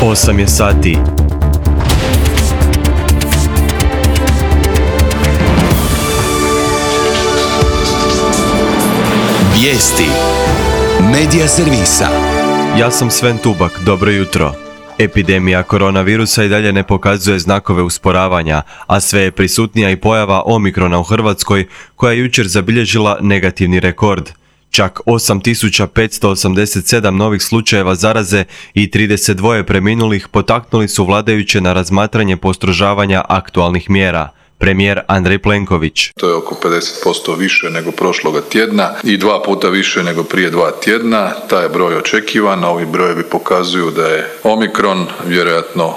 8 je sati. Vijesti Medija servisa. Ja sam Sven Tubak, dobro jutro. Epidemija koronavirusa i dalje ne pokazuje znakove usporavanja, a sve je prisutnija i pojava Omikrona u Hrvatskoj, koja je jučer zabilježila negativni rekord. Čak 8587 novih slučajeva zaraze i 32 preminulih potaknuli su vladajuće na razmatranje postrožavanja aktualnih mjera. Premijer Andrej Plenković. To je oko 50% više nego prošloga tjedna i 2 puta više nego prije 2 tjedna. Taj je broj očekivan, ovi brojevi pokazuju da je Omikron vjerojatno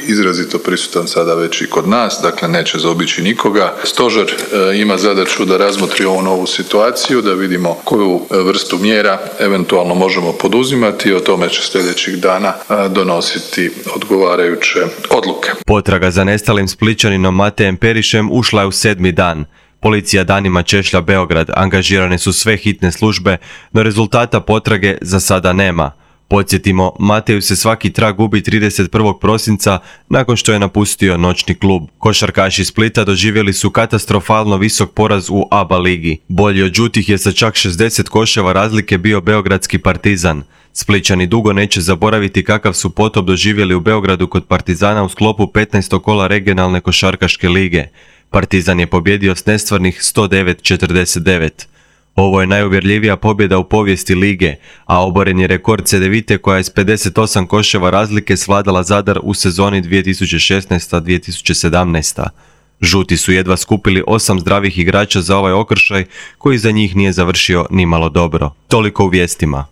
izrazito prisutan sada već i kod nas, dakle neće zaobići nikoga. Stožer ima zadaću da razmotri ovu novu situaciju, da vidimo koju vrstu mjera eventualno možemo poduzimati i o tome će sljedećih dana donositi odgovarajuće odluke. Potraga za nestalim Splićaninom Matejem Perišem ušla je u 7. dan. Policija danima češlja Beograd, angažirane su sve hitne službe, no rezultata potrage za sada nema. Podsjetimo, Mateju se svaki trag gubi 31. prosinca nakon što je napustio noćni klub. Košarkaši Splita doživjeli su katastrofalno visok poraz u ABA ligi. Bolji od žutih je sa čak 60 koševa razlike bio beogradski Partizan. Splićani dugo neće zaboraviti kakav su potop doživjeli u Beogradu kod Partizana u sklopu 15. kola regionalne košarkaške lige. Partizan je pobjedio s nestvarnih 109-49. Ovo je najuvjerljivija pobjeda u povijesti lige, a oboren je rekord Cedevite koja je s 58 koševa razlike svladala Zadar u sezoni 2016-2017. Žuti su jedva skupili 8 zdravih igrača za ovaj okršaj koji za njih nije završio nimalo dobro. Toliko u vijestima.